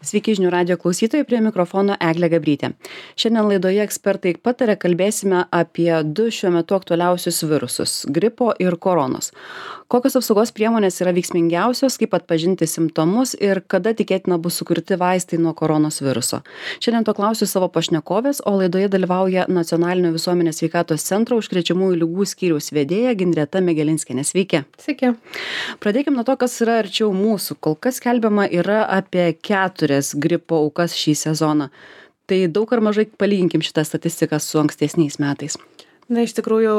Sveiki žinių radio klausytojai, prie mikrofono Eglė Gabrytė. Šiandien laidoje ekspertai pataria kalbėsime apie du šiuo metu aktualiausius virusus - gripo ir koronos. Kokios apsaugos priemonės yra veiksmingiausios, kaip atpažinti simptomus ir kada tikėtina bus sukurti vaistai nuo koronos viruso. Šiandien to klausiu savo pašnekovės, o laidoje dalyvauja Nacionalinio visuomenės sveikatos centro užkrečiamųjų ligų skyriaus vedėja Ginreta Megelinskienė. Sveiki. Sveiki. Pradėkime nuo to, kas yra arčiau mūsų. Kol kas skelbiama yra apie 4 gripo aukas šį sezoną. Tai daug ar mažai palyginkim šitą statistiką su ankstesniais metais. Na, iš tikrųjų,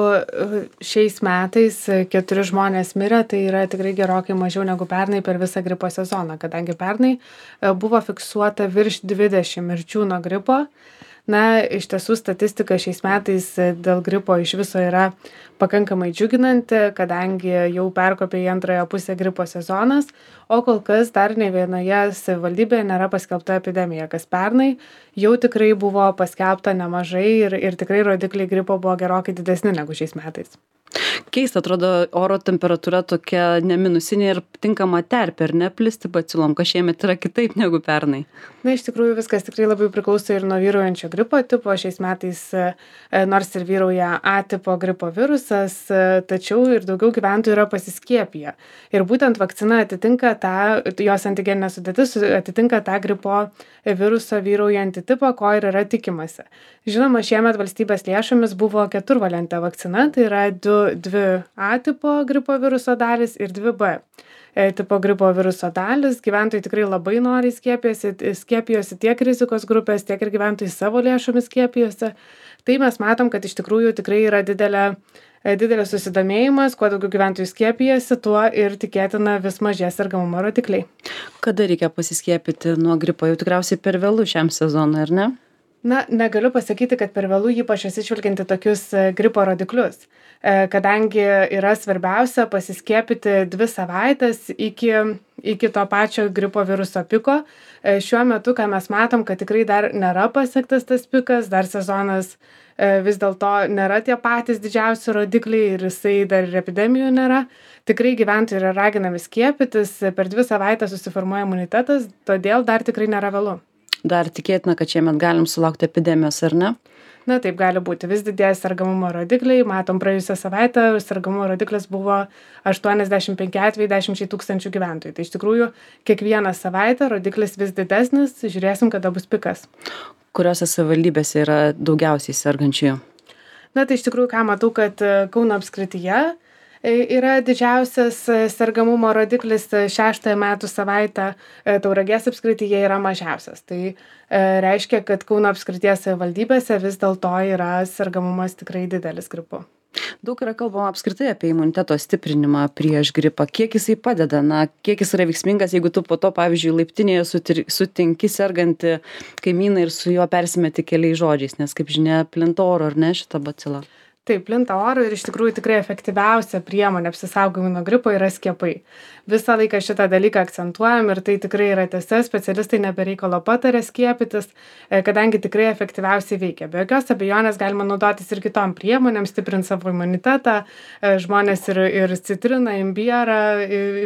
šiais metais 4 žmonės mirė, tai yra tikrai gerokai mažiau negu pernai per visą gripo sezoną, kadangi pernai buvo fiksuota virš 20 mirčių nuo gripo. Na, iš tiesų statistika šiais metais dėl gripo iš viso yra pakankamai džiuginanti, kadangi jau perkopė į antrąją pusę gripo sezonas, o kol kas dar ne vienoje savivaldybėje nėra paskelbta epidemija, kas pernai jau tikrai buvo paskelbta nemažai ir tikrai rodikliai gripo buvo gerokai didesni negu šiais metais. Keista, atrodo, oro temperatūra tokia neminusinė ir tinkama terpė, ar ne plisti bacilom, kas šiemet yra kitaip negu pernai. Na, iš tikrųjų viskas tikrai labai priklauso ir nuo vyraujančio gripo tipo. Šiais metais nors ir vyrauja A tipo gripo virusas, tačiau ir daugiau gyventojų yra pasiskiepiję. Ir būtent vakcina atitinka tą, jos antigeninė sudėtis atitinka tą gripo viruso vyraujantį tipą, ko ir yra tikimasi. Žinoma, šiemet valstybės lėšomis buvo 4-valentė vakcina, tai yra 2 A tipo gripo viruso dalis ir 2 B tipo gripo viruso dalis. Gyventojai tikrai labai noriai skiepijosi tiek rizikos grupės, tiek ir gyventojai savo lėšomis skiepijosi. Tai mes matom, kad iš tikrųjų tikrai yra didelis susidomėjimas, kuo daugiau gyventojų skiepijasi, tuo ir tikėtina vis mažės sergamumo rodikliai. Kada reikia pasiskiepyti nuo gripo? Jau tikriausiai per vėlų šiam sezonui, ar ne? Na, negaliu pasakyti, kad per vėlų ypač atsižvelgiant į tokius gripo rodiklius, kadangi yra svarbiausia pasiskiepyti 2 savaitės iki to pačio gripo viruso piko. Šiuo metu, ką mes matom, kad tikrai dar nėra pasiektas tas pikas, dar sezonas vis dėlto nėra tie patys didžiausi rodikliai ir jisai dar ir epidemijų nėra. Tikrai gyventojai yra raginami skiepytis, per 2 savaitės susiformuoja imunitetas, todėl dar tikrai nėra vėlu. Dar tikėtina, kad šiemet galim sulaukti epidemijos, ar ne? Na, taip gali būti. Vis didėja sergamumo rodikliai. Matom, praėjusią savaitę sergamumo rodiklis buvo 85 atvejai 10 tūkstančių gyventojų. Tai iš tikrųjų kiekvieną savaitę rodiklis vis didesnis. Žiūrėsim, kada bus pikas. Kuriuose savivaldybėse yra daugiausiai sergančiųjų? Na, tai iš tikrųjų, ką matau, kad Kauno apskrityje yra didžiausias sergamumo rodiklis 6 metų savaitę, Tauragės apskrityje yra mažiausias. Tai reiškia, kad Kauno apskrities savivaldybėse vis dėlto yra sergamumas tikrai didelis gripu. Daug yra kalbama apskritai apie imuniteto stiprinimą prieš gripą. Kiek jisai padeda? Na, kiek jis yra veiksmingas, jeigu tu po to, pavyzdžiui, laiptinėje sutinki sergantį kaimyną ir su juo persimeti keliais žodžiais, nes, kaip žinia, plinta oru, ar ne, šitą bacilą? Taip, plinta oru ir iš tikrųjų tikrai efektyviausia priemonė apsisaugojimui nuo gripo yra skiepai. Visą laiką šitą dalyką akcentuojam ir tai tikrai yra tiesa, specialistai nebereikalo patarė skiepytis, kadangi tikrai efektyviausiai veikia. Be jokios abejonės galima naudotis ir kitom priemonėm, stiprinti savo imunitetą, žmonės ir citriną, imbierą,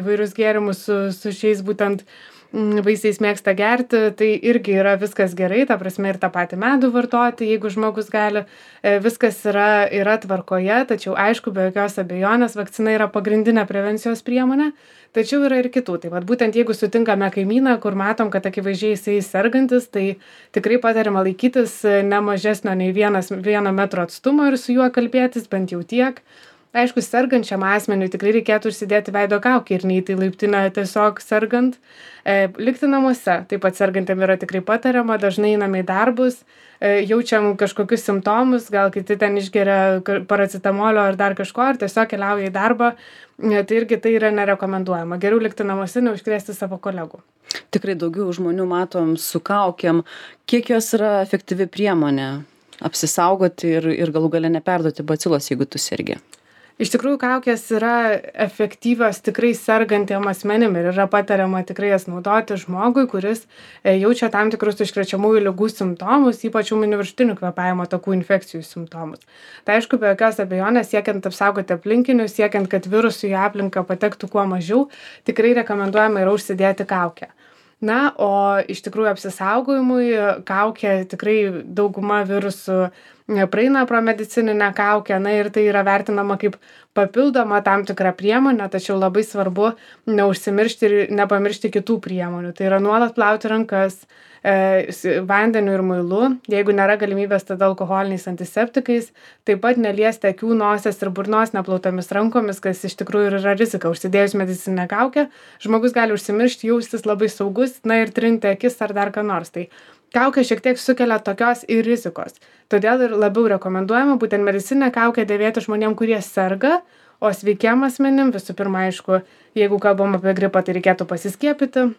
įvairius gėrimus su šiais būtent vaisiais mėgsta gerti, tai irgi yra viskas gerai, ta prasme ir tą patį medų vartoti, jeigu žmogus gali, viskas yra tvarkoje, tačiau aišku, be jokios abejonės vakcina yra pagrindinė prevencijos priemonė, tačiau yra ir kitų. Tai vat būtent jeigu sutinkame kaimyną, kur matom, kad akivaizdžiai jisai sergantis, tai tikrai patariama laikytis ne mažesnio nei 1 metro atstumo ir su juo kalbėtis bent jau tiek. Aišku, sergančiam asmeniui tikrai reikėtų užsidėti veido kaukę ir neiti į laiptinę tiesiog sergant. Likti namuose. Taip pat sergantiem yra tikrai patariama, dažnai einame į darbus, jaučiam kažkokius simptomus, gal kiti ten išgeria paracetamolio ar dar kažko, ar tiesiog keliauja į darbą, tai irgi tai yra nerekomenduojama. Geriau likti namuose, neužkrėsti savo kolegų. Tikrai daugiau žmonių matom su kaukėm. Kiek jos yra efektyvi priemonė apsisaugoti ir galų gale neperduoti bacilos, jeigu tu sergi? Iš tikrųjų, kaukės yra efektyvios tikrai sergantiem asmenim ir yra patariama tikrai jas naudoti žmogui, kuris jaučia tam tikrus užkrečiamųjų ligų simptomus, ypač ūminių viršutinių kvėpavimo takų infekcijų simptomus. Tai aišku, be jokios abejonės, siekiant apsaugoti aplinkinius, siekiant, kad virusų į aplinką patektų kuo mažiau, tikrai rekomenduojama yra užsidėti kaukę. Na, o iš tikrųjų apsisaugojimui kaukė tikrai dauguma virusų praeina pro medicininę kaukę, na ir tai yra vertinama kaip papildoma tam tikra priemonė, tačiau labai svarbu neužsimiršti ir nepamiršti kitų priemonių. Tai yra nuolat plauti rankas vandeniu ir muilu, jeigu nėra galimybės, tada alkoholiniais antiseptikais, taip pat neliesti akių, nosies ir burnos neplautomis rankomis, kas iš tikrųjų ir yra rizika. Užsidėjus medicininę kaukę, žmogus gali užsimiršti, jaustis labai saugus, na ir trinti akis ar dar ką nors. Tai kaukė šiek tiek sukelia tokios ir rizikos. Todėl ir labiau rekomenduojama būtent medicininę kaukę dėvėti žmonėm, kurie serga, o sveikiem asmenim, visų pirma, aišku, jeigu kalbam apie gripą, tai reikėtų pasiskiepyti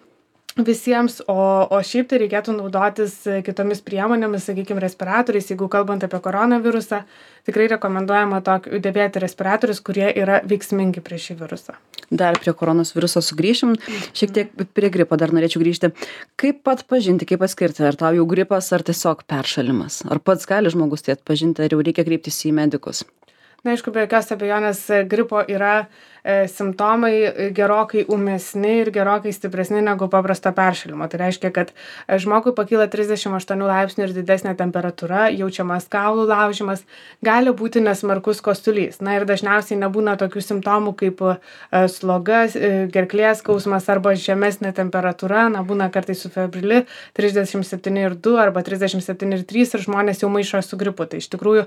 visiems, o šiaip tai reikėtų naudotis kitomis priemonėmis, sakykime, respiratoriais. Jeigu kalbant apie koronavirusą, tikrai rekomenduojama dėvėti respiratorius, kurie yra veiksmingi prieš šį virusą. Dar prie koronos viruso sugrįšim, šiek tiek prie gripo dar norėčiau grįžti. Kaip atpažinti, kaip atskirti, ar tau jau gripas, ar tiesiog peršalimas? Ar pats gali žmogus tai atpažinti, ar jau reikia kreiptis į medikus? Na, aišku, be jokios abejonės gripo yra simptomai gerokai ūmesni ir gerokai stipresni negu paprasto peršalimo. Tai reiškia, kad žmogui pakyla 38 laipsnių ir didesnė temperatūra, jaučiamas kaulų laužimas, gali būti nesmarkus kosulys. Na ir dažniausiai nebūna tokių simptomų kaip sloga, gerklės skausmas arba žemesnė temperatūra, na būna kartais su febrili 37,2 arba 37,3 ir žmonės jau maišo su gripu. Tai iš tikrųjų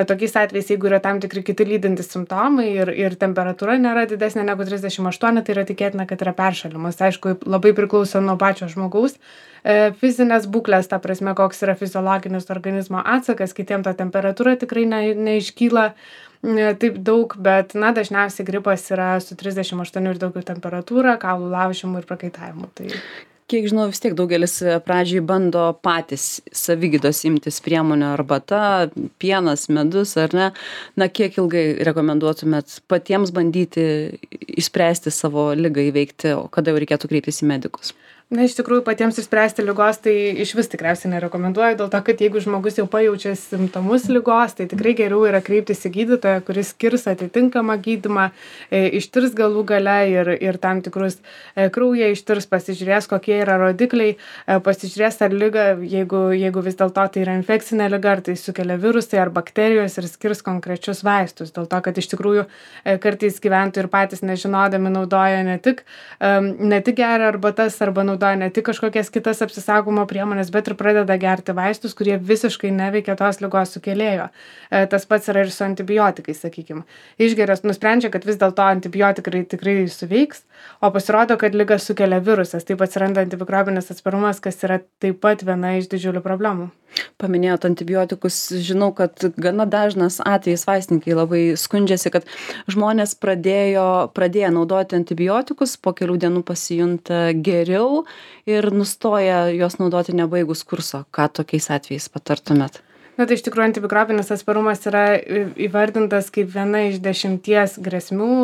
tokiais atvejais, jeigu yra tam tikri kiti lydintys simptomai ir temperatūra nėra didesnė negu 38, tai yra tikėtina, kad yra peršalimas. Aišku, labai priklauso nuo pačio žmogaus fizinės būklės, ta prasme, koks yra fiziologinis organizmo atsakas, kitiem ta temperatūra tikrai neiškyla taip daug, bet dažniausiai gripas yra su 38 ir daugiau temperatūra, kaulų laužimu ir prakaitavimu. Tai kiek žinau, vis tiek daugelis pradžiai bando patys savigydos imtis priemonių, arbata, pienas, medus, ar ne? Na, kiek ilgai rekomenduotumėt patiems bandyti išspręsti savo ligą, įveikti, o kada jau reikėtų kreiptis į medikus? Na, iš tikrųjų, patiems išspręsti ligos, tai iš vis tikriausiai nerekomenduoju, dėl to, kad jeigu žmogus jau pajaučia simptomus ligos, tai tikrai geriau yra kreiptis į gydytoją, kuris skirs atitinkamą gydymą, ištirs galų gale ir tam tikrus kraują ištirs, pasižiūrės, kokie yra rodikliai, pasižiūrės, ar lyga, jeigu vis dėlto tai yra infekcinė liga, ar tai sukelia virusai ar bakterijos ir skirs konkrečius vaistus. Dėl to, kad iš tikrųjų kartais gyventojai ir patys nežinodami naudoja ne tik geria arbatas arba naudoja ne tik kažkokias kitas apsisaugomo priemonės, bet ir pradeda gerti vaistus, kurie visiškai neveikia tos ligos sukėlėjo. Tas pats yra ir su antibiotikais, sakykime. Išgeria, nusprendžia, kad vis dėlto antibiotikai tikrai suveiks, o pasirodo, kad ligą sukelia virusas. Taip atsiranda antimikrobinis atsparumas, kas yra taip pat viena iš didžiulių problemų. Paminėjot antibiotikus, žinau, kad gana dažnas atvejis vaistininkai labai skundžiasi, kad žmonės pradėję naudoti antibiotikus, po kelių dienų pasijunta geriau ir nustoja juos naudoti nebaigus kurso. Ką tokiais atvejais patartumėt? Na, tai iš tikrųjų antimikrobinis atsparumas yra įvardintas kaip viena iš 10 grėsmių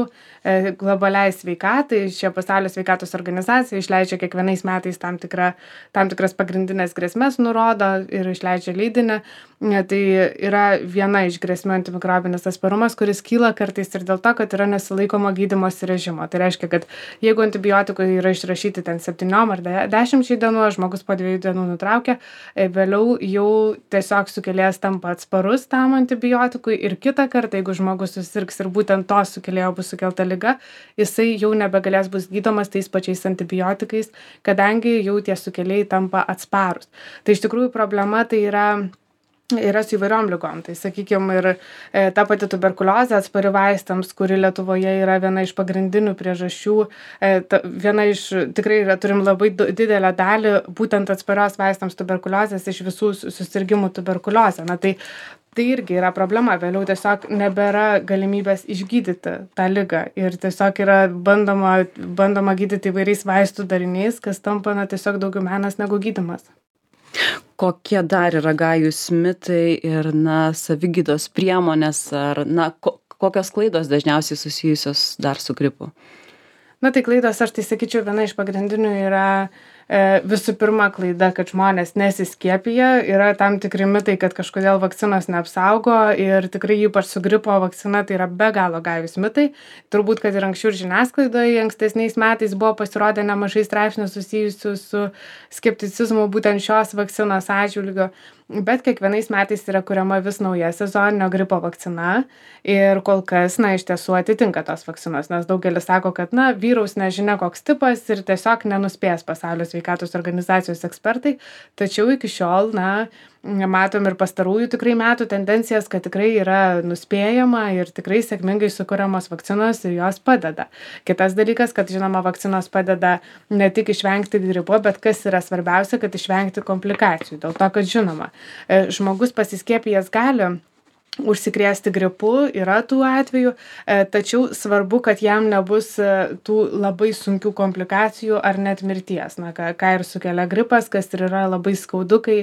globaliai sveikatai. Šia pasaulio sveikatos organizacija išleidžia kiekvienais metais tam tikras pagrindinės grėsmes nurodo ir išleidžia leidinį. Tai yra viena iš grėsmių antimikrobinis atsparumas, kuris kyla kartais ir dėl to, kad yra nesilaikoma gydymosi režimo. Tai reiškia, kad jeigu antibiotikai yra išrašyti ten 7 ar 10 dienų, žmogus po 2 dienų nutraukia, vėliau jau tiesiog sukėlėjas tampa atsparus tam antibiotikui ir kitą kartą, jeigu žmogus susirgs ir būtent to sukėlėjo bus sukelta liga, jisai jau nebegalės bus gydomas tais pačiais antibiotikais, kadangi jau tie sukėlėjai tampa atsparus. Tai iš tikrųjų problema tai yra su įvairiom ligom. Tai sakykime, ir ta pati tuberkuliozė atspari vaistams, kuri Lietuvoje yra viena iš pagrindinių priežasčių, tikrai turim labai didelę dalį būtent atsparios vaistams tuberkuliozės iš visų susirgimų tuberkuliozė. Na, tai irgi yra problema. Vėliau tiesiog nebėra galimybės išgydyti tą ligą ir tiesiog yra bandoma gydyti įvairiais vaistų dariniais, kas tampa tiesiog daugiau menas negu gydymas. Kokie dar yra gajūs mitai ir savigydos priemonės ar kokios klaidos dažniausiai susijusios dar su gripu? Na, tai klaidos, aš tai sakyčiau, viena iš pagrindinių yra Visų pirma klaida, kad žmonės nesiskiepija, yra tam tikri mitai, kad kažkodėl vakcinos neapsaugo ir tikrai ypač su gripo vakcina tai yra be galo gajūs mitai. Turbūt, kad ir anksčiau ir žiniasklaidoje ankstesniais metais buvo pasirodę nemažai straipsnių susijusių su skepticizmu būtent šios vakcinos atžvilgiu. Bet kiekvienais metais yra kuriama vis nauja sezoninio gripo vakcina ir kol kas, iš tiesų atitinka tos vakcinos, nes daugelis sako, kad, vyraus nežinia koks tipas ir tiesiog nenuspės Pasaulio sveikatos organizacijos ekspertai, tačiau iki šiol, matom ir pastarųjų tikrai metų tendencijas, kad tikrai yra nuspėjama ir tikrai sėkmingai sukuriamos vakcinos ir jos padeda. Kitas dalykas, kad žinoma, vakcinos padeda ne tik išvengti gripo, bet kas yra svarbiausia, kad išvengti komplikacijų. Dėl to, kad žinoma, žmogus pasiskiepijęs gali užsikrėsti gripu, yra tų atvejų, tačiau svarbu, kad jam nebus tų labai sunkių komplikacijų ar net mirties. Ką ir sukelia gripas, kas ir yra labai skaudu, kai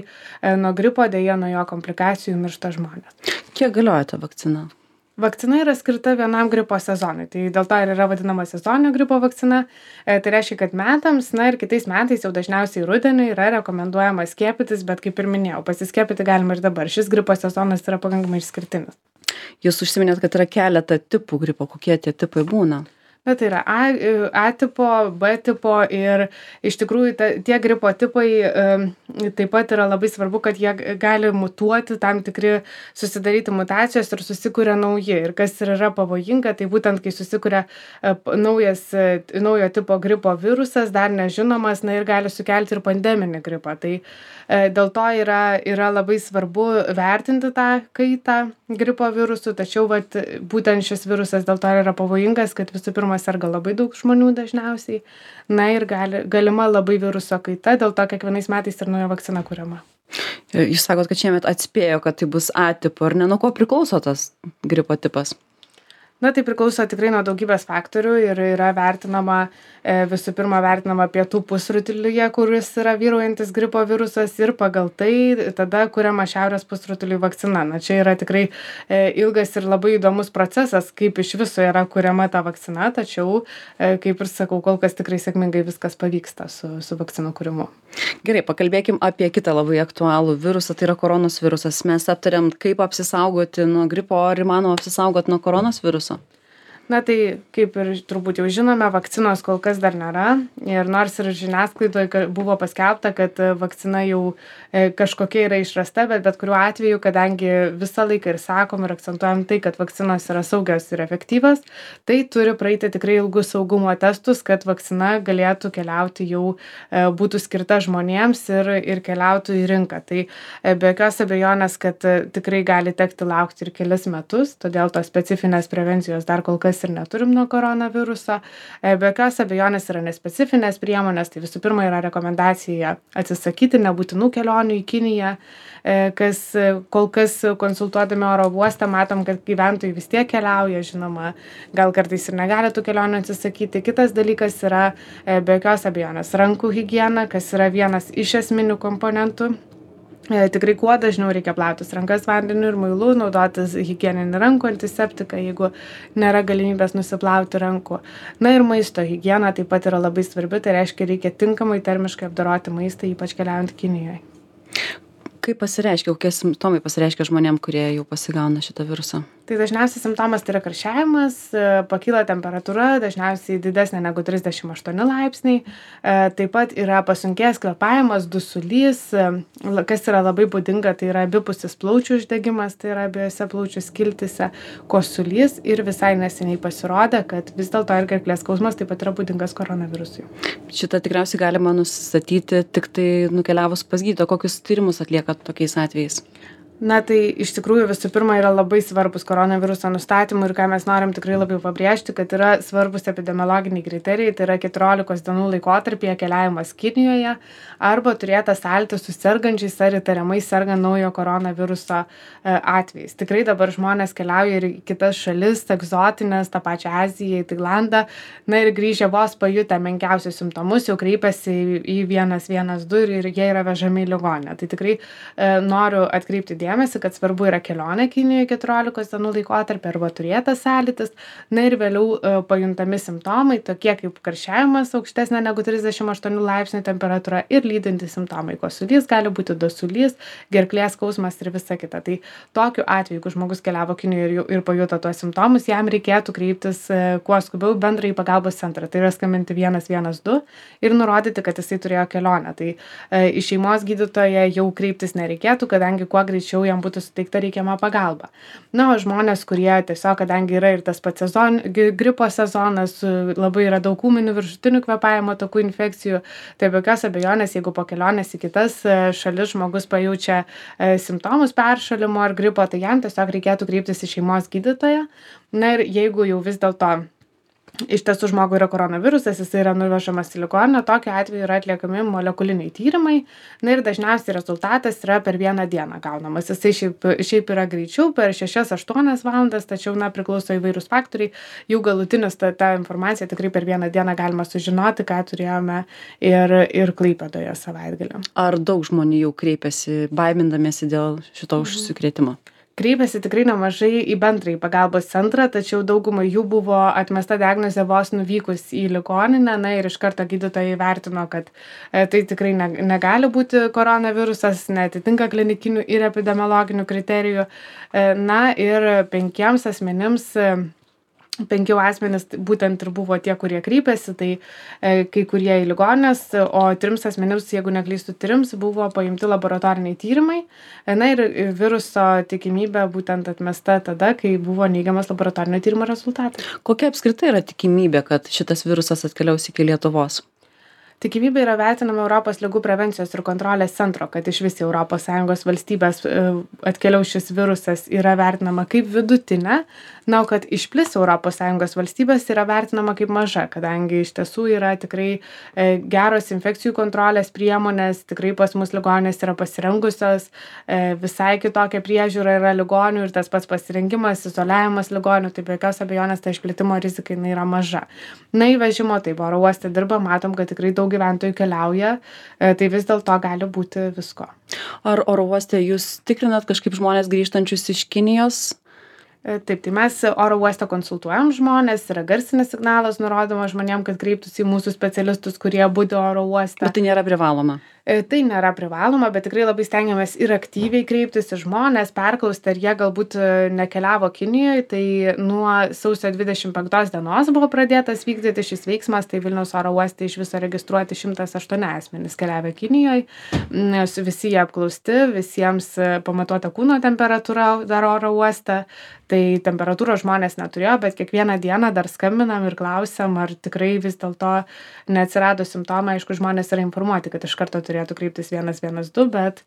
nuo gripo dėja nuo jo komplikacijų miršta žmonės. Kiek galioja ta vakcina? Vakcina yra skirta vienam gripo sezonui, tai dėl to ir yra vadinama sezoninio gripo vakcina. Tai reiškia, kad metams, ir kitais metais jau dažniausiai rudenį yra rekomenduojama skiepytis, bet kaip ir minėjau, pasiskiepyti galima ir dabar. Šis gripo sezonas yra pakankamai išskirtinis. Jūs užsiminėt, kad yra keletą tipų gripo. Kokie tie tipai būna? Tai yra A tipo, B tipo ir iš tikrųjų tie gripo tipai taip pat yra labai svarbu, kad jie gali mutuoti, tam tikri susidaryti mutacijos ir susikuria nauji. Ir kas yra pavojinga, tai būtent kai susikuria naujo tipo gripo virusas, dar nežinomas, ir gali sukelti ir pandeminį gripą. Tai dėl to yra labai svarbu vertinti tą kaitą gripo virusų, tačiau būtent šis virusas dėl to yra pavojingas, kad visų pirma serga labai daug žmonių dažniausiai, ir galima labai viruso kaita, dėl to kiekvienais metais ir nauja vakcina kuriama. Jūs sakot, kad šiemet atspėjo, kad tai bus A tipo, ar ne, nuo ko priklauso tas gripo tipas? Tai priklauso tikrai nuo daugybės faktorių ir yra visų pirma vertinama pietų pusrutulyje, kuris yra vyraujantis gripo virusas ir pagal tai tada kuriama šiaurės pusrutuliui vakcina. Čia yra tikrai ilgas ir labai įdomus procesas, kaip iš viso yra kuriama ta vakcina, tačiau, kaip ir sakau, kol kas tikrai sėkmingai viskas pavyksta su vakcinų kūrimu. Gerai, pakalbėkim apie kitą labai aktualų virusą, tai yra koronos virusas. Mes aptarėm, kaip apsisaugoti nuo gripo, ar įmanoma apsisaugoti nuo koronos viruso? Tai kaip ir turbūt jau žinome, vakcinos kol kas dar nėra ir nors ir žiniasklaidoje buvo paskelbta, kad vakcina jau kažkokia yra išrasta, bet kuriuo atveju, kadangi visą laiką ir sakom ir akcentuojam tai, kad vakcinos yra saugios ir efektyvios, tai turi praeiti tikrai ilgus saugumo testus, kad vakcina galėtų keliauti jau būtų skirta žmonėms ir keliautų į rinką. Tai be jokios abejonės, kad tikrai gali tekti laukti ir kelis metus, todėl tos specifinės prevencijos dar kol kas ir neturim nuo koronaviruso. Be jokios abejonės yra nespecifinės priemonės, tai visų pirma yra rekomendacija atsisakyti nebūtinų kelionių į Kiniją, kas kol kas konsultuodami oro uostą matom, kad gyventojai vis tiek keliauja, žinoma, gal kartais ir negali tų kelionių atsisakyti. Kitas dalykas yra be jokios abejonės rankų higiena, kas yra vienas iš esminių komponentų. Tikrai kuo dažniau reikia plautis rankas vandeniu ir muilu, naudotis higieninį rankų antiseptiką, jeigu nėra galimybės nusiplauti rankų. Ir maisto higiena taip pat yra labai svarbi, tai reiškia reikia tinkamai termiškai apdoroti maistą, ypač keliaujant Kinijoje. Kaip pasireiškia, kokie simptomai pasireiškia žmonėm, kurie jau pasigauna šitą virusą? Tai dažniausiai simptomas tai yra karščiavimas, pakyla temperatūra, dažniausiai didesnė negu 38 laipsniai, taip pat yra pasunkėjęs kvėpavimas, dusulys, kas yra labai būdinga, tai yra abipusis plaučių uždegimas, tai yra abiejose plaučių skiltyse, kosulys ir visai neseniai pasirodė, kad vis dėlto ir gerklės skausmas taip pat yra būdingas koronavirusui. Šitą tikriausiai galima nusistatyti tik tai nukeliavus pas gydytoją. Kokius tyrimus atlieka tokiais atvejais? Tai iš tikrųjų visų pirma yra labai svarbus koronaviruso nustatymui ir ką mes norim tikrai labai pabrėžti, kad yra svarbus epidemiologiniai kriterijai, tai yra 14 dienų laikotarpyje keliavimas Kinijoje arba turėtas sąlytis su sergančiais ar įtariamai sergant naujo koronaviruso atvejais. Tikrai dabar žmonės keliauja ir į kitas šalis, egzotinės, tą pačią Aziją, į Tailandą, ir grįžę vos pajutę menkiausius simptomus, jau kreipiasi į 112 ir jie yra vežami į ligoninę. Tai tikrai noriu atkreipti dėmesį, dėmesį, kad svarbu yra kelionė Kinijoje 14 dienų laikotarpį arba turėtas sąlytis. Na ir vėliau pajuntami simptomai, tokie kaip karščiavimas aukštesnė negu 38 laipsnių temperatūra ir lydintys simptomai. Kosulys gali būti dusulys, gerklės skausmas ir visa kita. Tai tokiu atveju, jeigu žmogus keliavo Kinijoje ir pajuto tuos simptomus, jam reikėtų kreiptis kuo skubiau bendrąjį pagalbos centrą. Tai yra skambinti 112 ir nurodyti, kad jisai turėjo kelionę. Tai į šeimos gydytoją jau kreiptis nereikėtų, kadangi kuo greičiau jam būtų suteikta reikiama pagalba. Na, o žmonės, kurie tiesiog, kadangi yra ir tas pats gripo sezonas, labai yra daug ūminių viršutinių kvėpavimo takų infekcijų, tai be jokios abejonės, jeigu po kelionės į kitas šalis žmogus pajaučia simptomus peršalimo ar gripo, tai jam tiesiog reikėtų kreiptis į šeimos gydytoją. Na ir jeigu jau vis dėlto iš tiesų žmogui yra koronavirusas, jis yra nuvežamas į ligoninę, tokiu atveju yra atliekami molekuliniai tyrimai, na ir dažniausiai rezultatas yra per vieną dieną gaunamas. Jisai šiaip yra greičiau, per 6-8 valandas, tačiau, priklauso įvairūs faktoriai, jau galutinis ta informacija tikrai per vieną dieną galima sužinoti, ką turėjome ir Klaipėdoje savaitgalį. Ar daug žmonių jau kreipiasi, baimindamiesi dėl šito užsikrėtimo? Kreipiasi tikrai nemažai į bendrąjį pagalbos centrą, tačiau daugumai jų buvo atmesta diagnozė vos nuvykus į ligoninę, na ir iš karto gydytojai įvertino, kad tai tikrai negali būti koronavirusas, neatitinka klinikinių ir epidemiologinių kriterijų. Na ir 5 asmenims 5 asmenys būtent ir buvo tie, kurie kreipėsi, tai kai kurie į ligoninės, o 3 asmenims, jeigu neklystu, 3 buvo paimti laboratoriniai tyrimai. Na ir viruso tikimybė būtent atmesta tada, kai buvo neigiamas laboratorinio tyrimo rezultatas. Kokia apskritai yra tikimybė, kad šitas virusas atkeliaus iki Lietuvos? Tikimybė yra vertinama Europos ligų prevencijos ir kontrolės centro, kad iš vis ES valstybės atkeliaus šis virusas yra vertinama kaip vidutinė, na, o kad išplis ES valstybės yra vertinama kaip maža, kadangi iš tiesų yra tikrai geros infekcijų kontrolės priemonės, tikrai pas mus ligoninės yra pasirengusios, visai kitokia priežiūra yra ligonių ir tas pats pasirengimas, izoliavimas ligonių, tai be jokios abejonės ta išplitimo rizika yra maža. Na, įvežimo, tai oro uoste dirba, matom, kad tikrai daug gyventojų keliauja, tai vis dėlto gali būti visko. Ar oro uoste jūs tikrinat kažkaip žmonės grįžtančius iš Kinijos? Taip, tai mes oro uoste konsultuojam žmonės, yra garsinis signalas nurodoma žmonėm, kad kreiptųsi į mūsų specialistus, kurie budi oro uoste. Bet tai nėra privaloma? Tai nėra privaloma, bet tikrai labai stengiamės ir aktyviai kreiptis į žmonės, perklausti, ar jie galbūt nekeliavo Kinijoje. Tai nuo sausio 25 dienos buvo pradėtas vykdyti šis veiksmas, tai Vilniaus oro uoste iš viso registruoti 108 asmenys keliavę Kinijoje. Visi jie apklausti, visiems pamatuota kūno temperatūra dar oro uoste. Tai temperatūros žmonės neturėjo, bet kiekvieną dieną dar skambinam ir klausiam, ar tikrai vis dėlto neatsirado simptomai. Aišku, žmonės yra informuoti, kad iš karto turėtų kreiptis 112, bet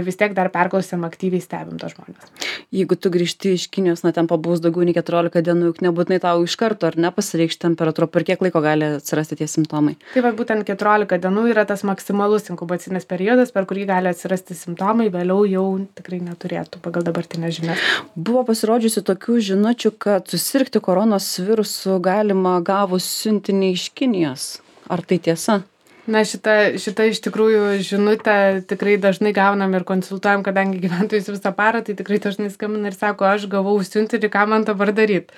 vis tiek dar perklausiam, aktyviai stebim tos žmonės. Jeigu tu grįžti iš Kinijos, ten pabūs daugiau nei 14 dienų, juk nebūtinai tau iš karto, ar ne, pasireikš temperatūra, per kiek laiko gali atsirasti tie simptomai? Tai va, būtent 14 dienų yra tas maksimalus inkubacinis periodas, per kurį gali atsirasti simptomai, vėliau jau tikrai neturėtų pagal dabartinę žinią. Buvo pasirodžiusi tokių žinučių, kad susirgti koronos virusu galima gavus siuntinį iš Kinijos. Ar tai tiesa? Na, šita iš tikrųjų žinutę tikrai dažnai gaunam ir konsultuojam, kadangi gyventojus visą parą, tai tikrai dažnai skambina ir sako, aš gavau siuntinį, ką man dabar daryti.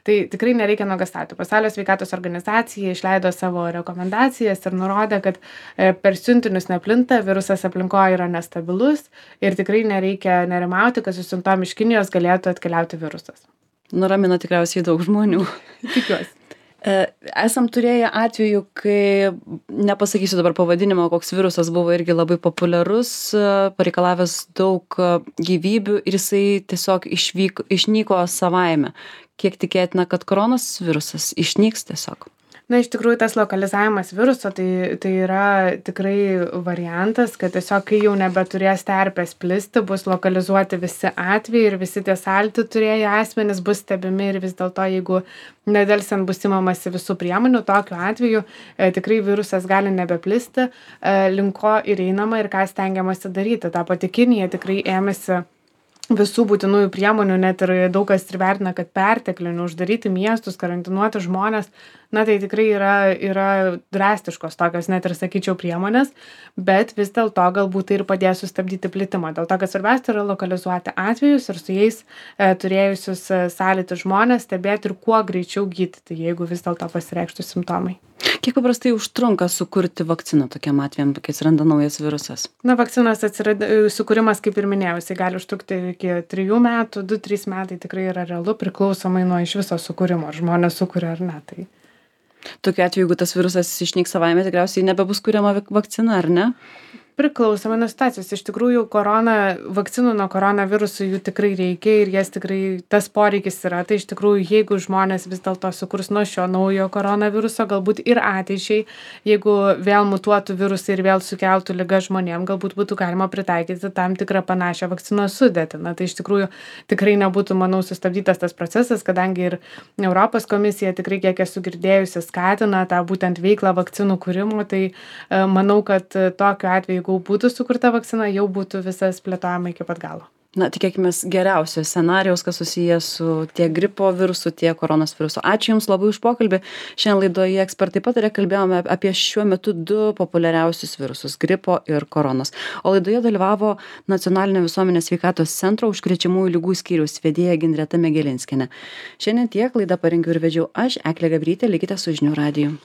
Tai tikrai nereikia nuogąstauti. Pasaulio sveikatos organizacija išleido savo rekomendacijas ir nurodė, kad per siuntinius neplinta, virusas aplinkoje yra nestabilus ir tikrai nereikia nerimauti, kad su siuntom iš Kinijos galėtų atkeliauti virusas. Nuramina tikriausiai daug žmonių. Tikiuosi. Esam turėję atvejų, kai, nepasakysiu dabar pavadinimo, koks virusas buvo irgi labai populiarus, pareikalavęs daug gyvybių ir jisai tiesiog išnyko savaime. Kiek tikėtina, kad koronos virusas išnyks tiesiog? Na, iš tikrųjų, tas lokalizavimas viruso, tai yra tikrai variantas, kad tiesiog, kai jau nebeturės terpės plisti, bus lokalizuoti visi atvejai ir visi tie salti turėję asmenys bus stebimi ir vis dėlto, jeigu nedelsiant bus imamasi visų priemonių, tokiu atveju tikrai virusas gali nebeplisti, link ko ir einama ir ką stengiamasi daryti. Ta pati Kinija tikrai ėmėsi visų būtinųjų priemonių, net ir daug kas ir vertina, kad perteklinių, uždaryti miestus, karantinuoti žmonės, na tai tikrai yra drastiškos tokios, net ir sakyčiau, priemonės, bet vis dėlto galbūt tai ir padės sustabdyti plitimą. Dėl to, kad svarbiausia yra lokalizuoti atvejus ir su jais turėjusius sąlytį žmonės stebėti ir kuo greičiau gydyti, jeigu vis dėlto pasireikštų simptomai. Kiek paprastai užtrunka sukurti vakciną tokiam atvejam, kai atsiranda naujas virusas? Na, vakcinos sukūrimas, kaip ir minėjau, jisai gali užtrukti iki 3 metų, 2-3 metai tikrai yra realu, priklausomai nuo iš viso sukūrimo, ar žmonės sukuria ar ne. Tai Tokiu atveju, jeigu tas virusas išnyks savaime, tikriausiai nebebus kuriama vakcina, ar ne? priklausomai nuo situacijos. Iš tikrųjų, vakcinų nuo koronavirusų jų tikrai reikia ir jas tikrai tas poreikis yra. Tai iš tikrųjų, jeigu žmonės vis dėlto sukurs nuo šio naujo koronaviruso, galbūt ir ateičiai, jeigu vėl mutuotų virusai ir vėl sukeltų ligą žmonėm, galbūt būtų galima pritaikyti tam tikrą panašią vakcinos sudėtį. Na, tai iš tikrųjų tikrai nebūtų, manau, sustabdytas tas procesas, kadangi ir Europos komisija tikrai, kiek esu girdėjusi, skatina tą būtent veiklą vakcinų kūrimo. Tai manau, kad tokiu atveju, jeigu būtų sukurta vakcina, jau būtų visas plėtojama iki pat galo. Na, tikėkime geriausio scenarijaus, kas susijęs su tiek gripo virusu, tiek koronos virusu. Ačiū Jums labai už pokalbį. Šiandien laidoje Ekspertai pataria kalbėjome apie šiuo metu 2 populiariausius virusus - gripo ir koronos. O laidoje dalyvavo Nacionalinio visuomenės sveikatos centro užkrečiamųjų ligų skyriaus vedėja Ginreta Megelinskienė. Šiandien tiek, laidą parengiau ir vedžiau aš, Eglė Gabrytė, likite su žinių radiju.